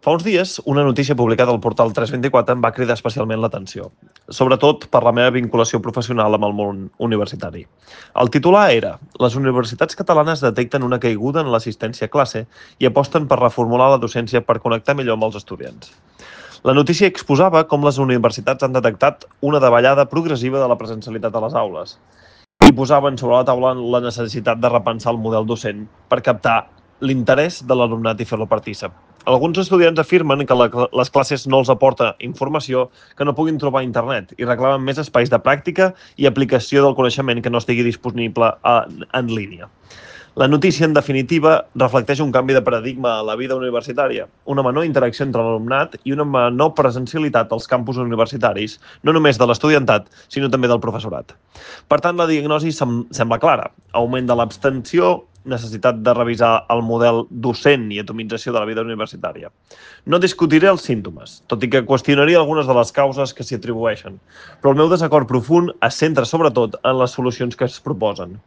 Fa uns dies, una notícia publicada al portal 324 em va cridar especialment l'atenció, sobretot per la meva vinculació professional amb el món universitari. El titular era «Les universitats catalanes detecten una caiguda en l'assistència a classe i aposten per reformular la docència per connectar millor amb els estudiants». La notícia exposava com les universitats han detectat una davallada progressiva de la presencialitat a les aules i posaven sobre la taula la necessitat de repensar el model docent per captar l'interès de l'alumnat i fer-lo partícip. Alguns estudiants afirmen que les classes no els aporta informació que no puguin trobar a internet i reclamen més espais de pràctica i aplicació del coneixement que no estigui disponible en línia. La notícia, en definitiva, reflecteix un canvi de paradigma a la vida universitària, una menor interacció entre l'alumnat i una menor presencialitat als campus universitaris, no només de l'estudiantat, sinó també del professorat. Per tant, la diagnosi sembla clara. Augment de l'abstenció, necessitat de revisar el model docent i atomització de la vida universitària. No discutiré els símptomes, tot i que qüestionaria algunes de les causes que s'hi atribueixen, però el meu desacord profund es centra sobretot en les solucions que es proposen.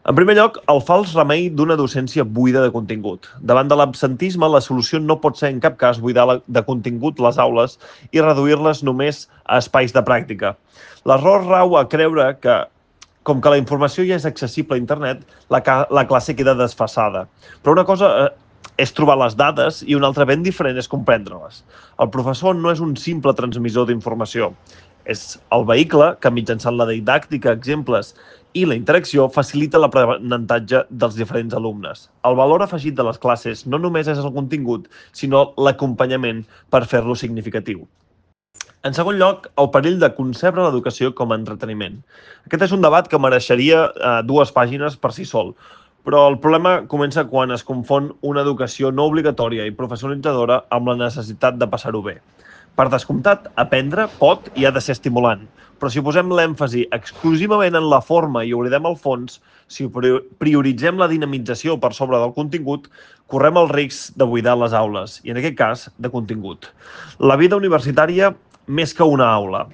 En primer lloc, el fals remei d'una docència buida de contingut. Davant de l'absentisme, la solució no pot ser en cap cas buidar de contingut les aules i reduir-les només a espais de pràctica. L'error rau a creure que, com que la informació ja és accessible a internet, la classe queda desfasada. Però una cosa és trobar les dades i una altra ben diferent és comprendre-les. El professor no és un simple transmissor d'informació. És el vehicle que, mitjançant la didàctica, exemples i la interacció, facilita l'aprenentatge dels diferents alumnes. El valor afegit de les classes no només és el contingut, sinó l'acompanyament per fer-lo significatiu. En segon lloc, el perill de concebre l'educació com a entreteniment. Aquest és un debat que mereixeria 2 pàgines per si sol, però el problema comença quan es confon una educació no obligatòria i professionalitzadora amb la necessitat de passar-ho bé. Per descomptat, aprendre pot i ha de ser estimulant, però si posem l'èmfasi exclusivament en la forma i oblidem el fons, si prioritzem la dinamització per sobre del contingut, correm el risc de buidar les aules, i en aquest cas, de contingut. La vida universitària, més que una aula.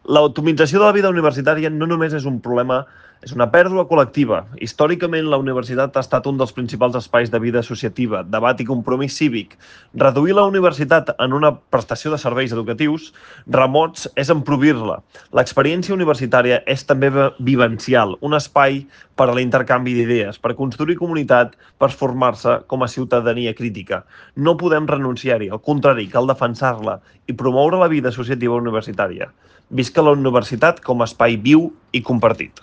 L'atomització de la vida universitària no només és un problema, és una pèrdua col·lectiva. Històricament, la universitat ha estat un dels principals espais de vida associativa, debat i compromís cívic. Reduir la universitat en una prestació de serveis educatius remots és empobrir-la. L'experiència universitària és també vivencial, un espai per a l'intercanvi d'idees, per construir comunitat, per formar-se com a ciutadania crítica. No podem renunciar-hi, al contrari, cal defensar-la i promoure la vida associativa universitària. Visca la universitat com a espai viu i compartit.